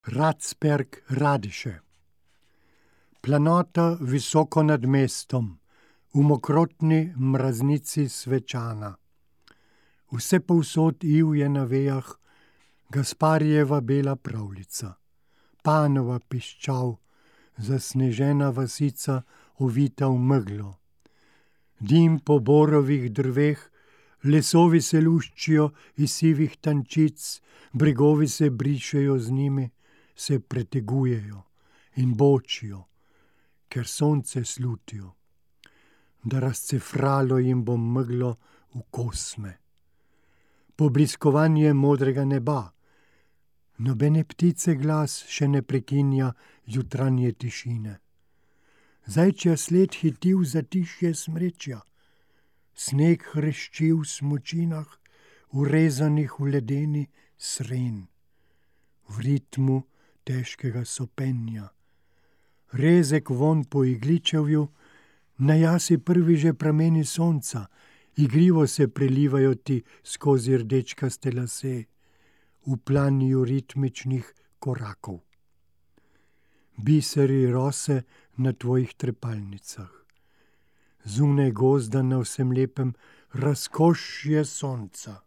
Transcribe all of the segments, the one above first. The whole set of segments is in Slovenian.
Radsberg, Radiše. Planota visoko nad mestom, v mokrotni mraznici svečana. Vse povsod ivje na vejah, Gasparijeva bela pravljica, Panova piščal, zasnežena vasica, ovita v meglo. Dim po borovih drveh, lesovi se luščijo iz sivih tančic, bregovi se brišejo z njimi, se pretegujejo in bočijo, ker sonce slutijo, da razcefralo jim bo meglo v kosme. Pobliskovanje modrega neba, nobene ptice glas še ne prekinja jutranje tišine. Zajčja sled hiti v zatišje smrečja, sneg hrešči v smučinah, urezanih v ledeni sren, v ritmu težkega sopenja. Rezek vonj po igličevju, na jasi prvi že prameni sonca, igrivo se prelivajo ti skozi rdečkaste lase, v planju ritmičnih korakov. Biseri rose na tvojih trepalnicah. Zunaj gozda na vsem lepem razkošje sonca,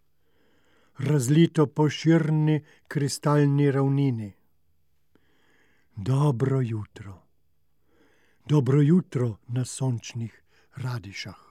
razlito po širni kristalni ravnini. Dobro jutro. Dobro jutro na sončnih Radišah.